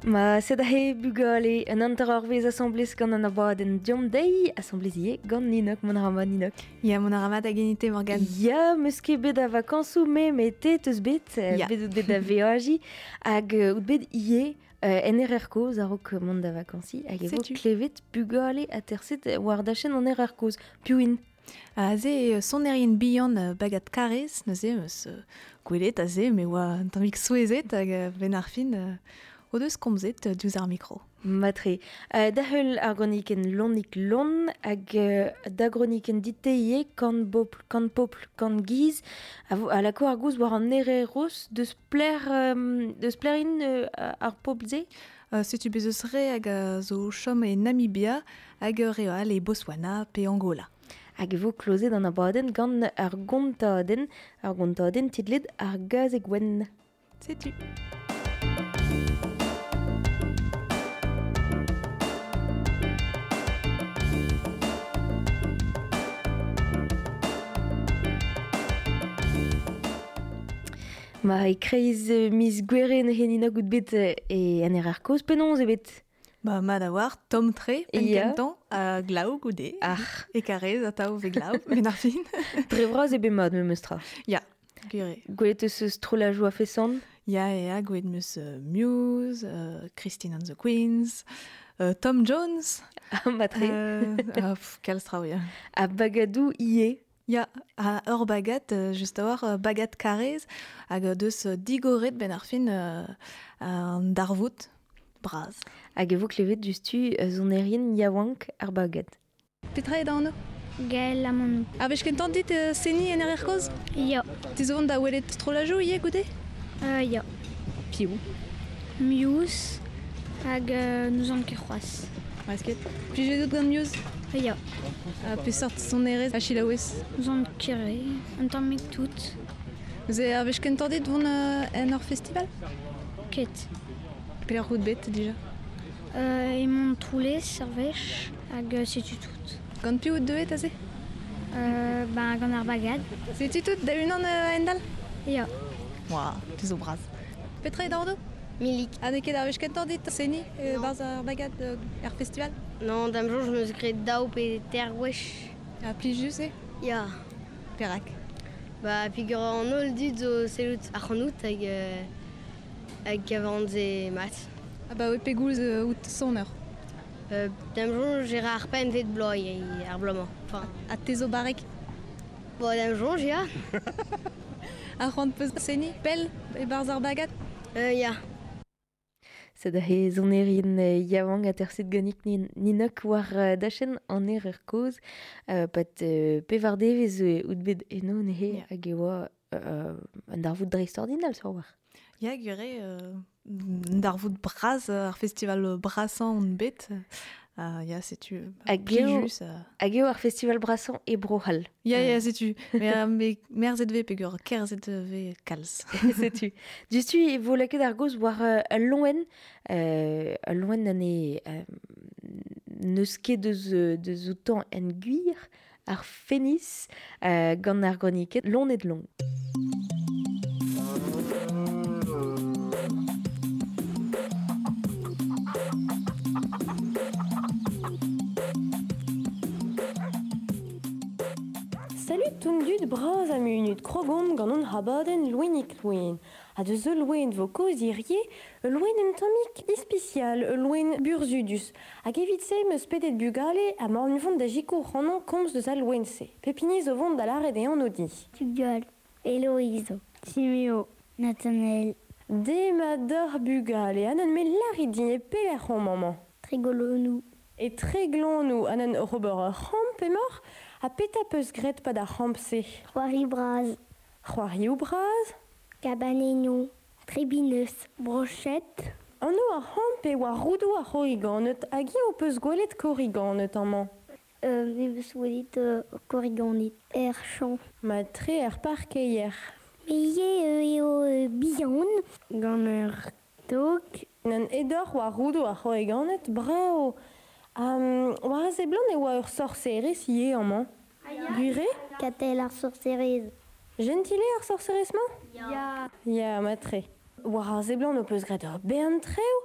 Ma sed ahe bugale un hanter eurvezh asambles gant an abadenn Deomp dezhi, asambles ivez gant Ninok, mont a ra mat Ninok. Ya, mont a ra mat hag enite Morgane. Ya, meus ket bet a vakañsoù me, met te teus bet, Ya. bet out bet da veajiñ, hag out bet ivez en erer kozh a-raok mont da vakañsiñ, hag e vo Setu. klevet bugale aterset war dachenn an erer kozh. Piv int? Aze eo sonerien bihan bagad Karez, neuze eus gwelet aze, me oa un tammig souezhet hag ben ar fin o deus komzet diouzh ar mikro. Matre. Da heul ar gronikenn Lonik Lon hag da gronikenn dit-te ivez, kant bopl, kant popl, kant giz, a vo, a lako ar gouz war an ereros deus pler, deus plerin ar pobl-se? Setu bez eus re hag a zo chom e Namibia hag ur re all e Botswana pe Angola. Hag e vo klozet an abadenn gant ar gontadenn, ar gontadenn titlet ar gazeg wenn. Setu. Ma e kreiz miz Gouere neuze Nina gout bet e an erer kozh penaos eo bet? Ba, mat a war, tomm tre, penn Ya. kentañ, ha glav goude. Ah. E karez atav ve glav, ben ar fin. Dre vras eo bet mat memes tra. Ya, gwir eo. Gwelet eus eus strollajoù a feson? Ya, ya, gwelet meus Muse, Christine and the Queens, Tom Jones. Ah, matre. Pff, kalz traoù, ya. Ha bagadoù ivez. Ya, ha ur bagad, just a war, bagad Karez, hag deus digoret ben ar fin an darvoud bras. Hag e vo klevet diouzhtu sonerien yaouank ar bagad. Petra eo da anv? Gaël Amonou. A wech kentañ dit seniñ en erer kozh? Ya. Te zo vont da welet strollajoù ivez goude? Ya. Piv? Muse hag n'ouzon ket c'hoazh. Masket. Plijet out gant Muse? Ya. Ha peseurt sonerezh a selaouez? N'ouzon ket re, un tammig tout. Neuze ar wech kentañ dit vont en ur festival? Ket. Pelec'h out bet dija? E Montroulez, ar wech, hag setu tout. Gant piv out deuet aze? Ben, gant ar bagad. Setu tout da unan a-hend-all? Ya. Oua, te zo bras. Petra eo da anv? Milik. Ha n'eo ket ar wech kentañ dit seniñ Non. barzh ar bagad er festival? Non, da'm soñj, meus graet daou pe ter gwech. Ha plijus eo? Ya. Perak? Ba, peogwir an holl dud zo sellout ac'hanout hag hag kavan se mat. Ah ba oui, pegoulz out soner? Da'm soñj, e ra ar pempvet bloaz ar bloaz-mañ. Enfin. Ha te zo barrek? Bo, da'm soñj, ya. Ha c'hoant peus seniñ pell e-barzh ar bagad? Ya. Sed he sonerien yaouank aterset ganik Ninok war dachenn an erer kozh, pat pevar devezh out bet eno neuze Ya. hag e oa un darvoud dreistordinal sur war. Ya, gwir eo, un darvoud bras, ar festival brasañ on bet. Ya, setu, Hag eo plijus. Hag eo ar festival brasañ e Bro-C'hall. Ya, ya, setu. Mais merzet vez peogwir kerzhet vez kalz. Setu. Diouzhtu e vo lakaet ar gaoz war ul loen, ul loen na ne n'eus ket deus outañ en gwir, ar fenis, gant ar groniket lonet long. Salut tout dud bras a munut krogomp gant an habadenn loenik loen. Ha deus ul loen vo kaoz hirie, ul loen un tammig ispisial, ul loen burzhudus. Hag evit se meus pedet bugale ha ma an vont da jikour c'hanon komz deus al loen-se. Pepini zo vont da lâret e anv di. Tugal, Héloïse, Timéo, Nathanaël. De ma d'ar bugale, an an me lârit din e pelec'h on maman. Trégolonou. E Treglonou, an an ober ur c'hamp emaoc'h, ha petra peus graet pa d'ar c'hamp-se? C'hoari bras. C'hoarioù bras? Cabaneno, Trébineus, Brochette. Anv ar c'hamp e oa roudoù ar c'horriganed, hag eo peus gwelet korriganed amañ? Me peus gwelet korriganed er champ. Ma tre er parkeier. Me ivez eo bihan. Gant ur tog. An edoc'h oa roudoù ar c'horriganed, bravo. War a seblant e oa ur sorserez ivez amañ. Gwir eo? Katell ar sorserez. Gentil eo ar sorserez-mañ? Ya. Ya, matre. War ar seblant ho peus graet ur bern treoù,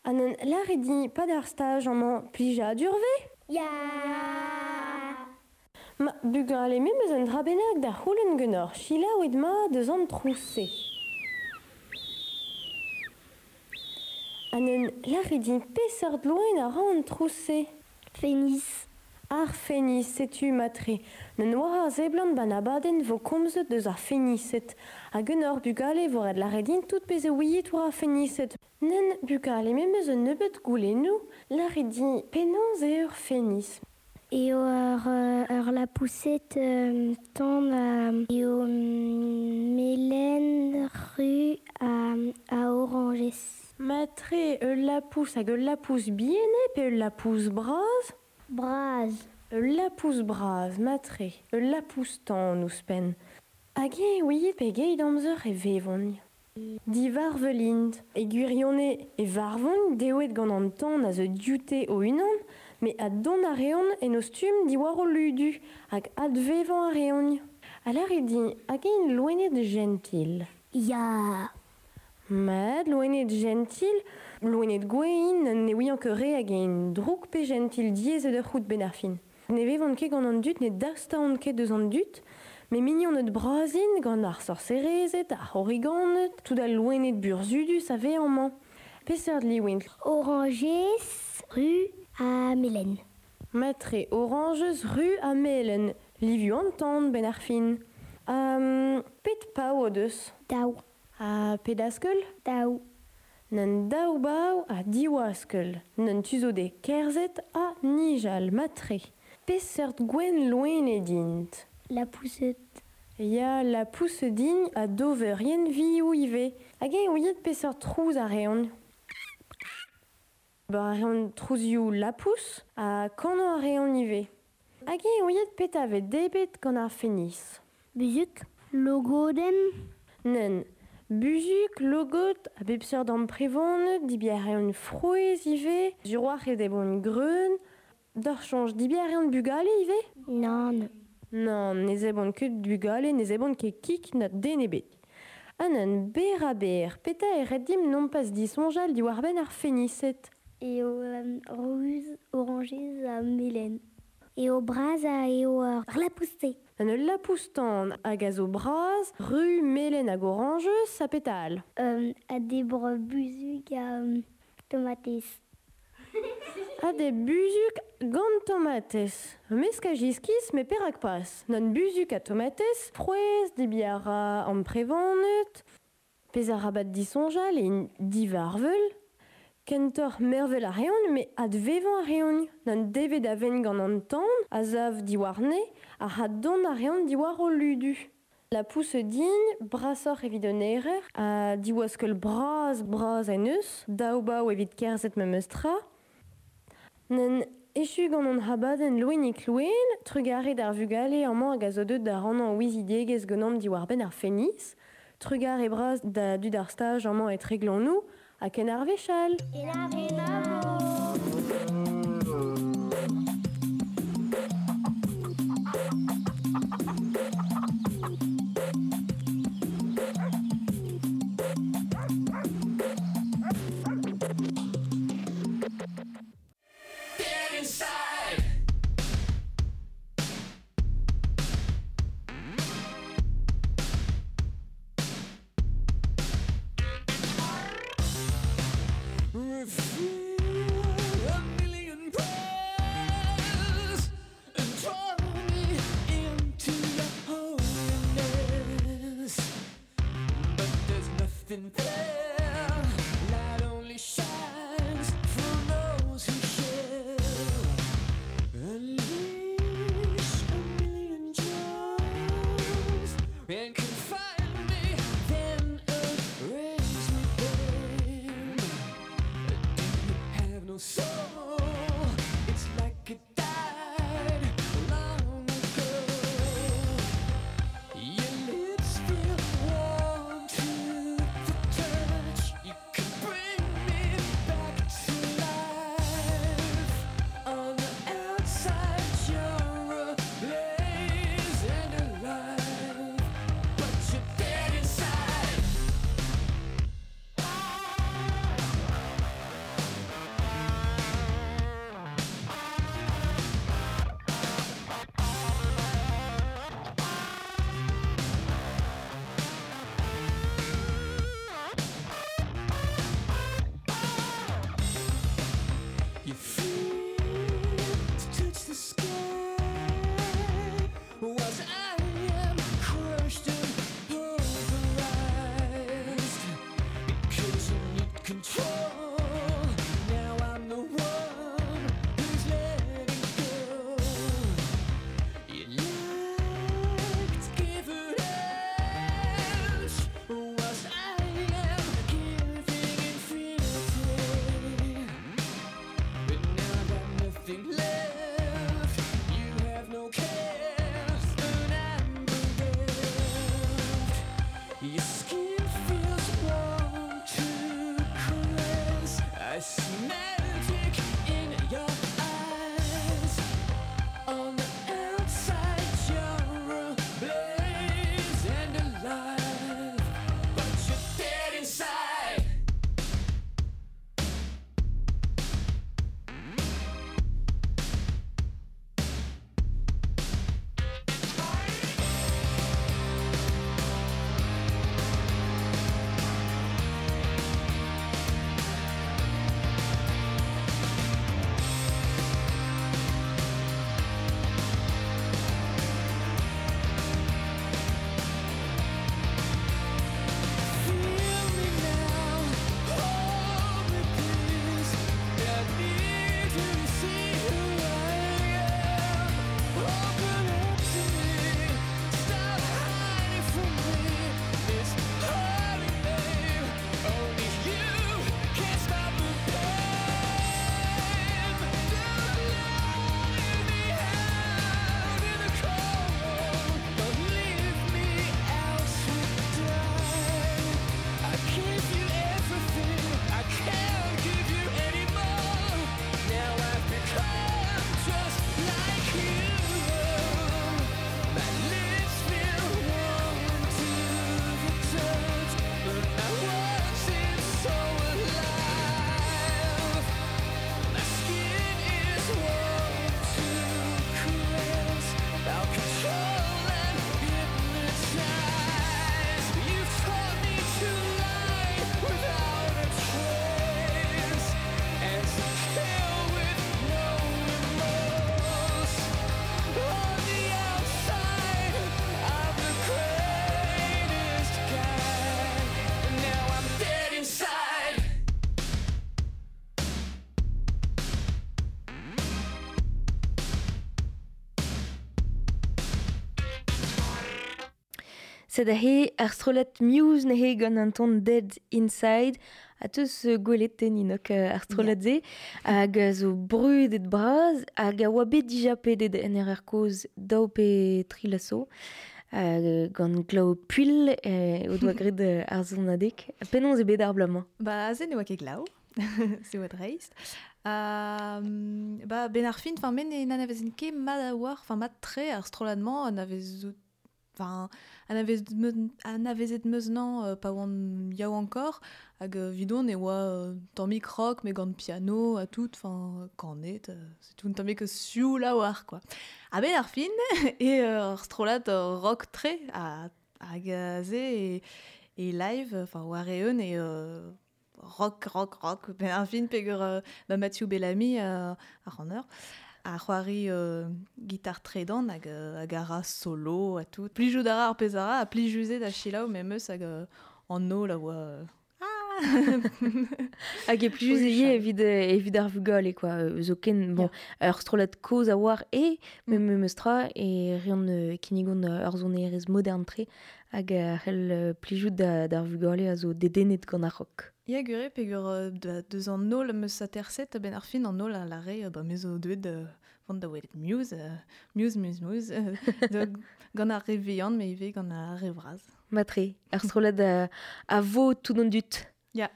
An en lâret din pad ar staj amañ plijadur 'vez? Ya! Ma bugale me 'm eus un dra bennak da c'houlenn ganeoc'h, selaouit mat deus an trouz-se. An en lâret din peseurt loen a ra an trouz-se? Fenis. Ar fenis, setu matre. N'en war ar seblant ban abadenn vo komzet deus ar fenised. Hag ganeoc'h bugale vo ret lâret din tout pezh a ouiit war ar fenised. Nen bugale me 'm eus un nebeud goulennoù, lâret din penaos eo ur fenis. Eo ur lapoused tan eo melen ru a orañjez. Matre ul lapous hag ul lapous bihan eo pe ul lapous bras? Bras. Ul lapous bras, matre, ul lapous tan ouzhpenn. Hag eñ ouiet pegeit amzer e vevont. Divarvel int. E gwirionez e varvont deuet gant an tan a zo dioute o-unan, met addont a reont en o stumm diwar o ludu hag advevañ a reont. Ha lârit din, hag int loened jentil? Ya. Mat, loened jentil, loened gouez int, ne ouian ket re hag int drouk pe jentil diaes eo da c'hoût benn ar fin. Ne vevont ket gant an dud, ne dastaont ket deus an dud, met mignoned bras int gant ar sorserezed, ar c'horriganed, tout al loened burzhudus a vez amañ. Peseurt liv int? Orañjez, ru ha melen. Matre, orañjez, ru ha melen. Livioù an tan benn ar fin. Pet pav o deus? Daou. Ha pet askell? Daou. N'un daou bav ha div askell. N'un tu zo dezhe kerzhet ha nijal, matre. Peseurt gwenn loened int? Lapoused. Ya, lapoused int ha doverien vioù ivez. Hag eñ ouiet peseurt trouz a reont? Ba a reont trouzioù lapous ha kanañ a reont ivez. Hag eñ ouiet petra 'vez debret gant ar fenis? Buzhug, logodenn. Nann. Buzhug, logod, a bep seurt amprevaned, debriñ a reont frouezh ivez, sur-walc'h e debront greun. D'ar soñj, debriñ a reont bugale ivez? Nann. Nann, ne zebront ket bugale, ne zebront ket kig na den ebet. Ha nann, berr-ha-berr, petra e ret dimp nompas disoñjal diwar-benn ar fenised? Eo ruz, orañjez ha melen. Eo bras ha eo ur lapous-te. An ul lapous-tan hag a zo bras, ru, melen hag orañjez ha petra all? A debr buzhug ha tomatez. Ha de buzhug gant tomatez. Meskaj iskis, met perak pas? Nann buzhug ha tomatez, frouezh, debriñ a ra amprevaned, pezh arabat disoñjal int divarvel. Kentoc'h mervel a reont, met advevañ a reont. N'an devet a vent gant an tan, a sav diwarne, ha addont a reont diwar o ludu. Lapous din, brasoc'h evit un erer, ha diwaskell bras bras en eus, daou bav evit kerzhet memes tra. N'en echu gant an abadenn loenig loen, trugarez d'ar vugale amañ hag a zo deuet da rannañ ouiziegezh ganeomp diwar-benn ar fenis. Trugarez bras da dud ar staj amañ e Treglonoù, ha ken ar wech all. Ken ar wech. Refuse. You feel to touch the sky whilst I am crushed and pulverized. Because you need control. Now I'm the one who's letting go. You like to give it out whilst I am giving infinity. But now I've got nothing left. You have no care, and I'm bereft. Your skin feels warm to caress. I see magic in your eyes. On the outside, you're ablaze and alive, but you're dead inside. Feel me now, hold me please. I need you to see who I am. Open up to me, stop hiding from me. This holy name, only you can stop the pain. Don't leave me out in the cold. Don't leave me out to die. I give you everything. I can't give you any more. Now I've become just like you. My lips feel warm to the touch, but my world seems so alive. My skin is warm to caress. I'll control and hypnotize. You've taught me to lie without a trace and to kill with no remorse. On the outside, I'm the greatest guy, and now I'm dead inside. Sed he ar strollad Muse nehe gant an ton Dead Inside a teus gwelet te ninok ar strollad ze hag a zo brudet braz hag a oa bet dija pedet en er koz daou pe tri laso gant glao puil o doa gret ar zonadek. Penaos e bet ar blamañ? Ba, aze ne oa ket glav, se oa dreist. Ba, ben ar fin, enfin, men ne n'anavezen ket mat a war, enfin, mat tre ar strollad-mañ anavezout, enfin, anavezet meus nañ pa oan yaou encore, hag vidon e oa tammik rock, me gant piano ha tout, enfin, kanet, c'est tout un tammik sioul a war, quoi. Ha ben ar fin, e ar strollad rock tre hag aze e live, enfin, war eeun e rock, rock, rock, ben ar fin peger ba Mathieu Bellamy ar an eur, a c'hoari gitar tredan hag hag a ra solo ha tout. Plijout a ra ar pezh a ra, ha plijuzet da chilaou memes hag an nol a oa... Ah. Hag e plijus ivez evit ar vugale, quoi. Zoken, bon, ur strollad kozh a oar e, memes tra, e reont kinnigon ur sonerezh modern tre hag a c'hell plijout d'ar vugale a zo dedennet gant ar rock. Ya gure, peger deus an nol meus aterset, ben ar fin an nol a lare, ba me zo deuet vont da welet Muse, Muse, Muse, Muse, gant ar re vihan, me ivez gant ar re vras. Matre, ar strollad a vo tout an dud. Ya.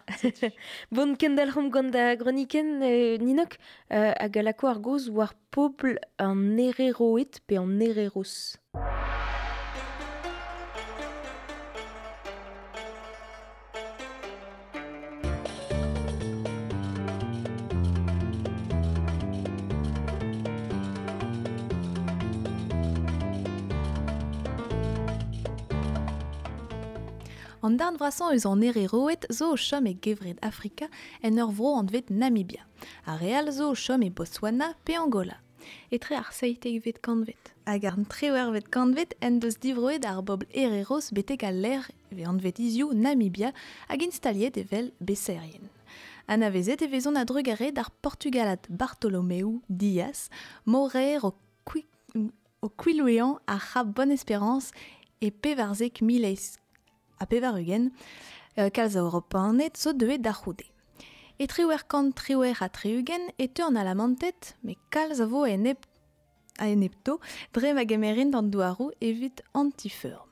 Bon, kendalc'homp gant da groniken, Ninok, hag a lako ar goz war pobl an Hereroed pe an Hereros. An darn vrasañ eus an Hereroed zo o chom e gevred Afrika en ur vro anvet Namibia. Ar re all zo o chom e Botswana pe Angola. Etre ar 17vet kantved hag ar 18vet kantved en deus divroet ar bobl Hereros betek al lec'h e vez anvet hiziv Namibia hag instaliet evel besaerien. Anavezet e vezont a-drugarez d'ar Portugalad Bartolomeu Dias, moraer o kwiloueañ ar c'hab Bonne-Espérance e 1884, kalz a Europaned zo deuet da c'houde. E 1878 e teu an Alamanted, met kalz a vo a-enepto dre ma gemerint an douaroù evit anti-feurm.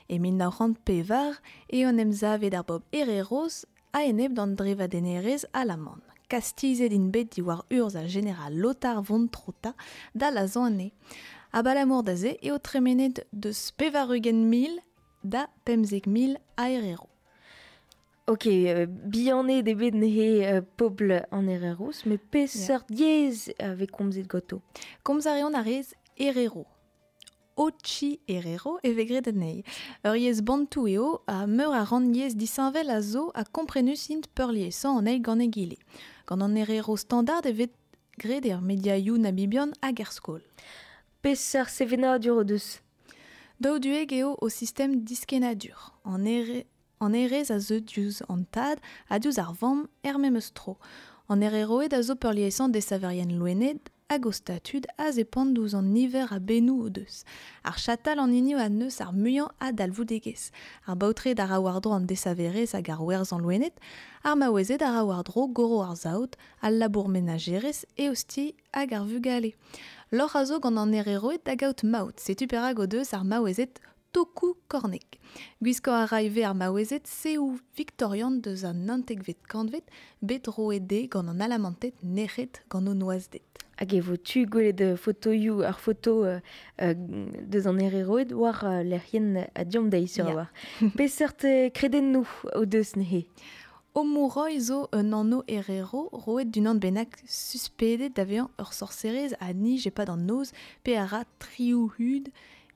E 1904 eo en em savet ar bobl Hereros a-enep d'an drevadennerezh alaman. Kastizet int bet diwar urzh ar jeneral Lothar von Trotha da lazhañ anezhe. Abalamour da se eo tremenet deus 80,000 da 15,000 a Herero. Ok, bihanet eo bet neuze pobl an Hereros, met peseurt yezh a vez komzet ganto? Komz a reont ar yezh Herero. Ochi Herero e vez graet anezhi. Ur yezh bantou eo ha meur a rannyezh disheñvel a zo ha komprenus int peurliesañ an eil gant egile. Gant an Herero standard e vez graet er mediaioù namibian hag er skol. Peseurt sevenadur o deus? Daouduek eo o sistem diskennadur. An hêrezh a zeu diouzh an tad ha diouzh ar vamm er memes tro. An hereroed a zo peurliesañ desaverien loened hag o statud a zepant diouzh an niver a bennoù o deus. Ar chatal an hini a neus ar muiañ a dalvoudegezh. Ar baotred a ra war-dro an desaverezh hag ar werzhañ loened, ar maouezed a ra war-dro goro ar saout, al labour menajerezh, eostiñ hag ar vugale. Lorc'h a zo gant an hereroed da gaout maout, setu perak o deus ar maouezed tokoù kornek. Gwiskañ a ra ivez ar maouezed seoù viktorian deus an 19vet kantved bet roet dezhe gant an Alamanted nec'het gant o noazhded. Hag e vo tu gwelet fotoioù ar foto deus an Hereroed war lec'hienn Diom Deiz sur a-walc'h. Peseurt kredennoù o deus neuze? Omuroi zo un anv Herero roet d'unan bennak suspedet da vezañ ur sorserez a nij e-pad an noz pe a ra trioù hud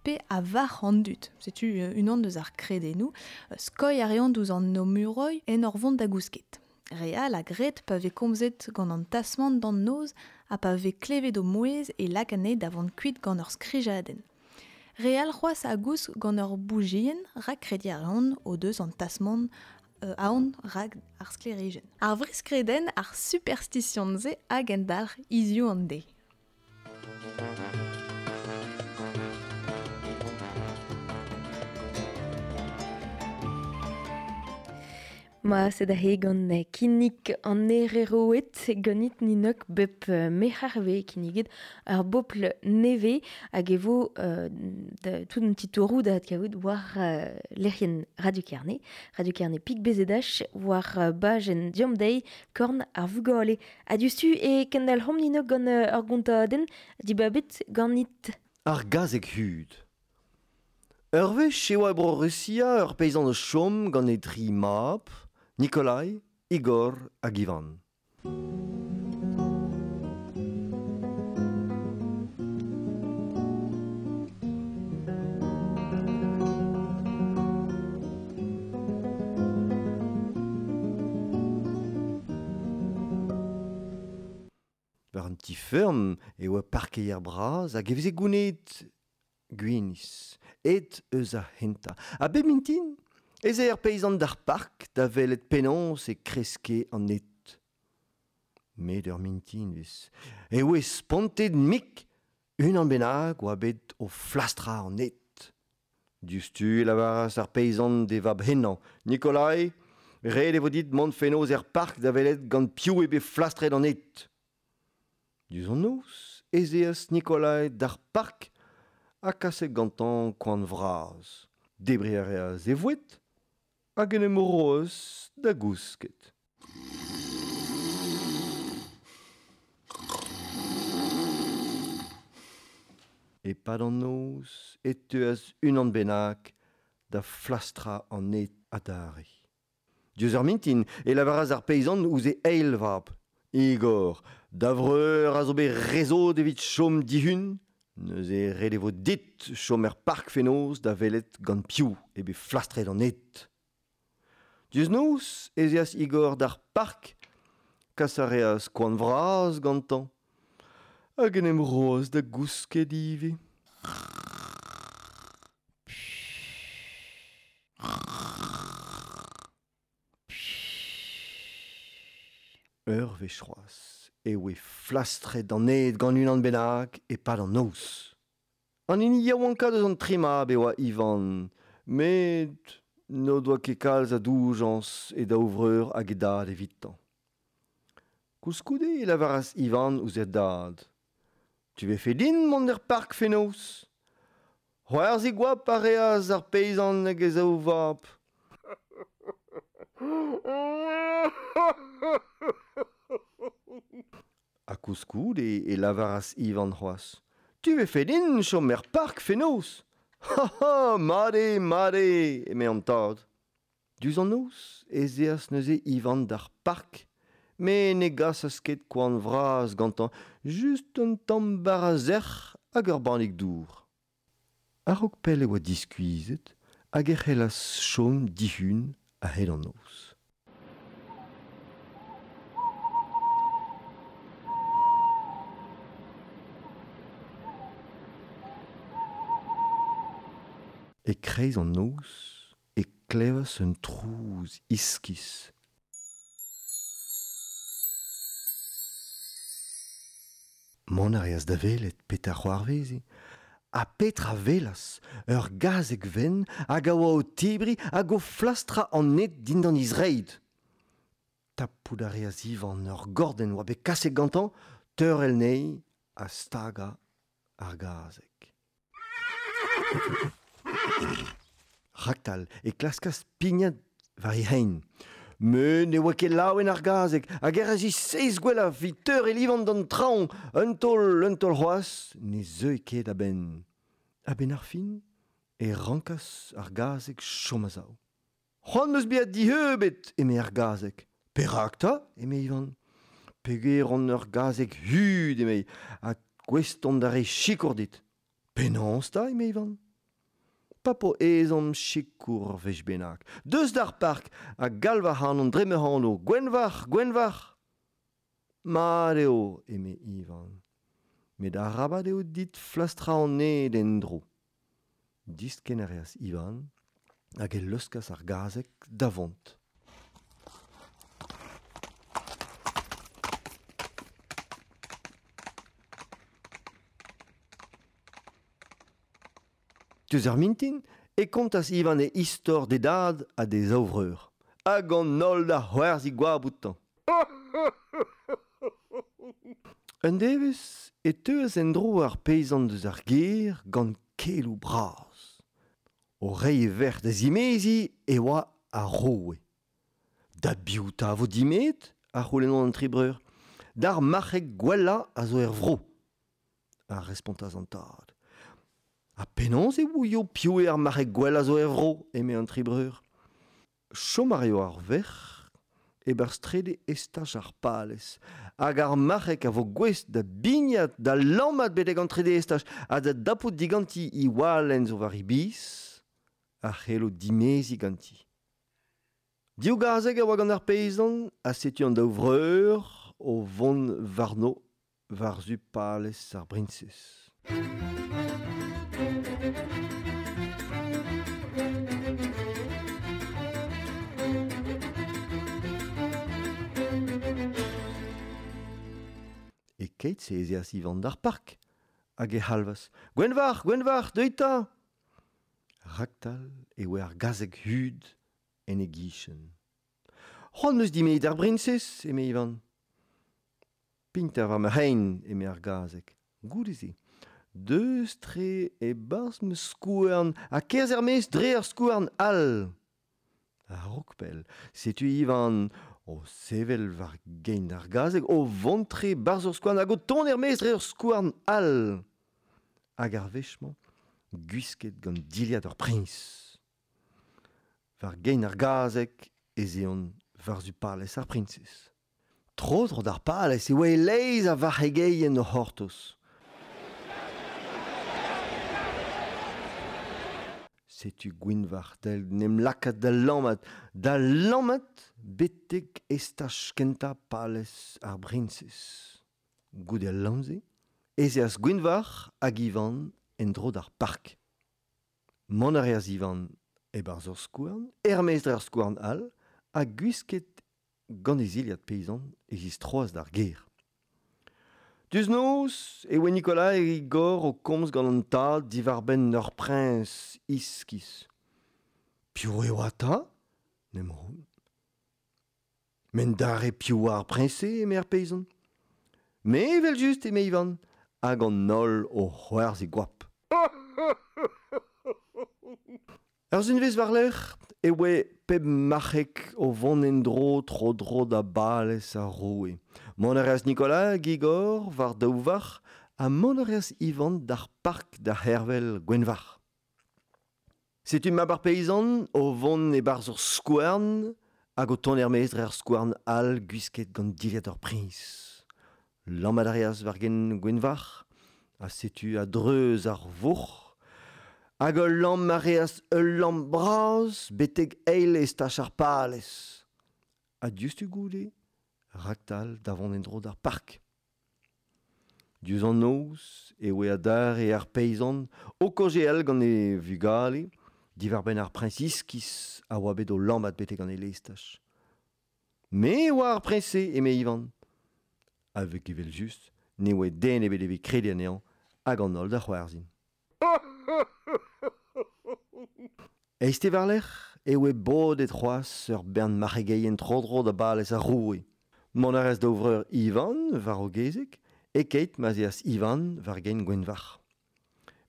pe a varc'h an dud. Setu unan deus ar kredennoù. Skoilh a reont ouzh an Omuroi en ur vont da gousket. Re all a gred pa vez komzet gant an tasmant d'an noz ha pa vez klevet o mouezh e lak anezhe da vont kuit gant ur skrijadenn. Re all c'hoazh a gousk gant ur boujienn rak krediñ a reont o deus an tasmant aon rak ar sklêrijenn. Ar vrizhkredenn ar superstition-se hag endalc'h hiziv an deiz. Ma sed aze gant kinnig an Hereroed ganit ninok bep merc'her vez kinniget ar bobl nevez hag e vo tout un titouroù da adkavout war lec'hienn Radio Kerne, Radio Kerne pik BZH war bajenn Diom Deiz korn ar vugale. Ha diouzhtu e kendalc'homp ninok gant ur gontadenn dibabet ganit. Ar gazeg hud. Ur wech e oa e Bro-Rusia ur peizant o chom gant e dri mab, Nikolai, Igor hag Ivan. War an ti-feurm e oa parkeier bras hag e veze gounezet gwinizh, ed eus ar c'hentañ. Ha bep mintin ez eo ar peizant d'ar park da welet penaos e kreske an ed. Met ur mintinvezh e oe spontet mik unan bennak oa bet o flastrañ an ed. Diouzhtu e lavaras ar peizant d'e vab henañ, Nikolai, ret e vo dit mont fenoz er park da welet gant piv eo bet flastret an ed. Diouzh an noz ez eas Nikolai d'ar park ha kaset gantañ koan vras. Debriñ a reas e voued hag en em roas da gousket. E-pad an noz e teuas unan bennak da flastrañ an ed adarre. Diouzh ar mintin e lavaras ar peizant ouzh e eil vab. Igor, da vreur a zo bet rezod evit chom dihun, neuze ret e vo dit chom er park fenoz da welet gant piv eo bet flastret an ed. Diouzh noz ez eas Igor d'ar park, Kas a reas koan vras gantañ. Hag en em roas da gousket ivez. Ur wech c'hoazh e oe flastret an ed gant unan bennak e-pad an noz. An hini yaouankañ deus an tri mab e oa Ivan, met n'o doa ket kalz a doujañs e daou vreur hag e dad evitañ. Koulskoude e lavaras Ivan ouzh e dad. Tu vefe din mont er park fenoz. C'hoarzhin goap a reas ar peizant hag e zaou vab. Ha koulskoude e lavaras Ivan c'hoazh. Tu vefe din chom er park fenoz. Ha ha, mat eo, mat eo, eme an tad. Diouzh an noz ez eas neuze Ivan d'ar park, met ne gasas ket koan vras gantañ, just un tamm bara sec'h hag ur bannig dour. A-raok pell e oa diskuizhet hag e c'hellas chom dihun a-hed an noz. E-kreiz an noz e klevas un trouz iskis. Mont a reas da welet petra c'hoarveze. Ha petra welas ur gazeg wenn hag a oa o tebriñ hag o flastrañ an ed dindan he zreid. Tapout a reas Ivan ur gordenn oa bet kaset gantañ, teurel anezhi ha stagañ ar gazeg. Raktal e klaskas pignat war he c'hein. Met ne oa ket laouen ar gazeg hag e razi seizh gwellañ evit teurel Ivan d'an traoñ. Un taol c'hoazh ne zeue ket a-benn. A-benn ar fin e rankas ar gazeg chom a-sav. C'hoant 'm eus bezañ dieubet, eme ar gazeg. Perak 'ta, eme Ivan. Peogwir on ur gazeg hud, eme, ha gouest on da reiñ sikour dit. Penaos 'ta, eme Ivan. Pa po ezhomm sikour ur wech bennak. Deus d'ar park ha galv ac'hanon dre ma anv. Gwenvarc'h, Gwenvarc'h. Mat eo, eme Ivan. Met arabat eo dit flastrañ an ed en-dro. Diskenn a reas Ivan hag e leuskas ar gazeg da vont. Diouzh ar mintin e kontas Ivan e istor d'e dad ha d'e zaou vreur. Hag an holl da c'hoarzhin goap outañ. Un devezh e teuas en-dro ar peizant eus ar gêr gant keloù bras. O reiñ e verc'h da zimeziñ e oa ar roue. Da biv 'ta vo dimeet ? a c'houlennont an tri breur. D'ar marc'heg gwellañ a zo er vro, a respontas an tad. Ha penaos e ouio piv eo ar marc'heg gwellañ zo er vro, eme an tri breur. Chom a raio ar verc'h e-barzh trede estaj ar palez, hag ar marc'heg a vo gouest da bignat, da lammat betek an trede estaj ha da dapout diganti he walenn zo war he biz, a c'hello dimeziñ ganti. Div gazeg a oa gant ar peizant ha setu an daou vreur o vont warno war-zu palez ar briñsez. E-keit-se ez eas Ivan d'ar park hag e c'halvas Gwenvarc'h, Gwenvarc'h, deuit 'ta ! Raktal e oa ar gazeg hud en e gichen. C'hoant 'm eus dimeziñ d'ar briñsez, eme Ivan. Pintañ war ma c'hein, eme ar gazeg. Goude-se, deus tre e-barzh ma skouarn ha kerzh er-maez dre ar skouarn all. A-raok pell, setu Ivan o sevel war gein ar gazeg, o vont tre 'barzh ur skouarn hag o tont er-maez dre ur skouarn all. Hag ar wech-mañ, gwisket gant dilhad ur priñs. War gein ar gazeg ez eont war-zu palez ar priñsez. Tro-dro d'ar palez e oa e-leizh a varc'hegeien o c'hortoz. Setu Gwynvarc'h da n'em lakaat da lammat betek estaj kentañ palez ar briñsez. Goude al lamm-se, ez eas Gwynvarc'h hag Ivan en-dro d'ar park. Mont a reas Ivan e-barzh ur skouarn, er-maez dre ar skouarn all, ha gwisket gant e zilhad peizant e zistroas d'ar gêr. Diouzh noz e oa Nicolas hag Igor o komz gant an tad diwar-benn ur priñs iskis. Piv e oa 'ta ? N'em roont. Men dare piv oa ar priñs-se, eme ar peizant. Me evel-just, eme Ivan, hag an holl o c'hoarzhin goap. Ur sizhunvezh war-lerc'h e oa pep marc'heg o vont en-dro tro-dro da balez ar roue. Mont a reas Nicolas hag Igor war daou varch ha mont a reas Ivan d'ar park da c'hervel Gwenvarc'h. Setu mab ar peizant o vont e-barzh ur skouarn hag o tont er-maez dre ar skouarn all gwisket gant dilhad ur priñs. Lammat a reas war-genn Gwenvarc'h ha setu a-dreuz ar vourc'h hag ul lamm a reas ul lamm bras betek eil estaj ar palez. Ha diouzhtu goude, raktal da vont en-dro d'ar park. Diouzh an noz e oa adarre ar peizant o kaozeal gant e vugale diwar-benn ar priñs iskis a oa bet o lammat betek an eil estaj. Me e oa ar priñs-se, eme Ivan. A-vek evel-just, ne oa den ebet evit krediñ anezhañ hag an holl da c'hoarzhin. Eizhtez war-lerc'h e oa bodet c'hoazh ur bern marc'hegeien tro-dro da balez ar roue. Mont a reas daou vreur Ivan war o gezeg e-keit ma'z eas Ivan war-gein Gwenvarc'h.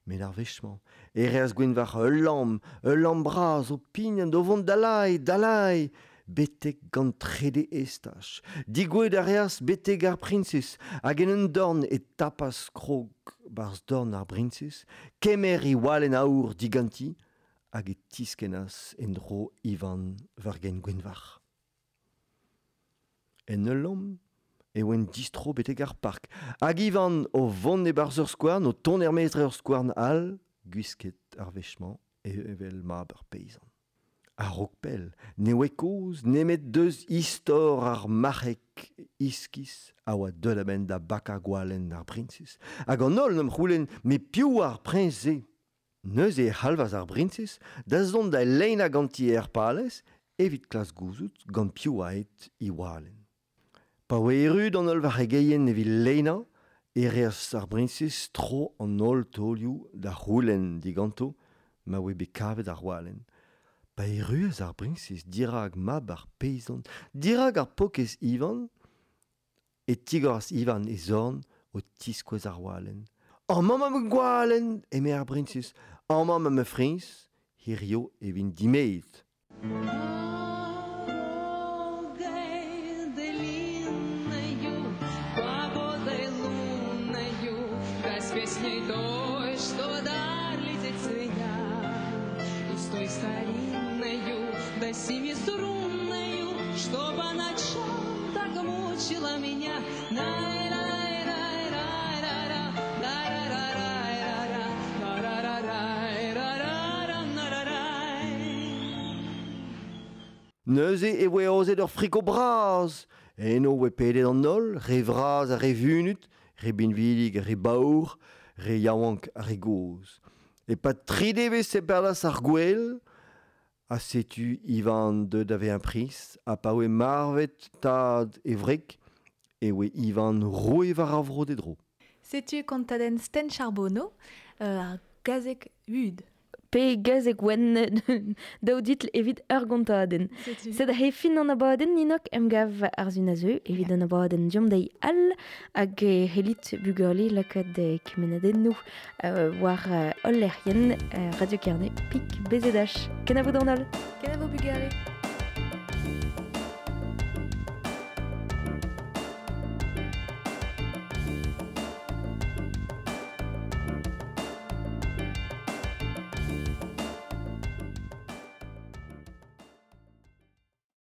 Met ar wech-mañ e reas Gwenvarc'h ul lamm bras o pignat o vont dalai, dalai, betek gant trede estaj. Digouezhet a reas betek ar priñsez hag en un dorn e tapas krog barzh dorn ar briñsez, kemer he walenn aour diganti hag e tiskennas en-dro Ivan war-gein Gwenvarc'h. En ul lamm e oant distro betek ar park hag Ivan o vont e-barzh ur skouarn, o tont er-maez dre ur skouarn all, gwisket ar wech-mañ evel mab ar peizant. A-raok pell, ne oa kaoz nemet deus istor ar marc'heg iskis a oa deuet a-benn da bakañ gwalenn ar briñsez. Hag an holl 'n em c'houlenn, met piv oa ar priñs-se ? Neuze e c'halvas ar briñsez da zont da leinañ ganti er palez evit klask gouzout gant piv oa aet he walenn. Pa oa erru d'an holl varc'hegeien evit leinañ e reas ar briñsez tro an holl taolioù da c'houlenn diganto ma oa bet kavet ar walenn. Pa erruas ar briñsez dirak mab ar peizant, dirak ar paourkaezh Ivan, e tigoras Ivan e zorn o tiskouez ar walenn. Amañ 'ma ma gwalenn, eme ar briñsez, amañ 'ma ma friñs, hirio e vin dimezet. Neuze e voe aozet ur friko bras. Eno e voe pedet an holl, re vras ha re vunut, re binvidik ha re baour, re yaouank ha re gozh. E-pad tri devezh e padas ar gouel, ha setu Ivan deuet da vezañ priñs, ha pa oe marvet tad e wreg, e oe Ivan roue war ar vro d'e dro. Setu kontadenn Sten Charbonneau, ar gazeg hud. Pe gazeg wenn daou ditl evit ur gontadenn. Sed he fin an abadenn ninok emgav ar zun a zeu evit an abadenn diomp deiz all hag helit bugale lakaat kemennadennoù war holl lec'hienn Radio Kerne pik BZH. Kenavo d'an holl. Kenavo bugale.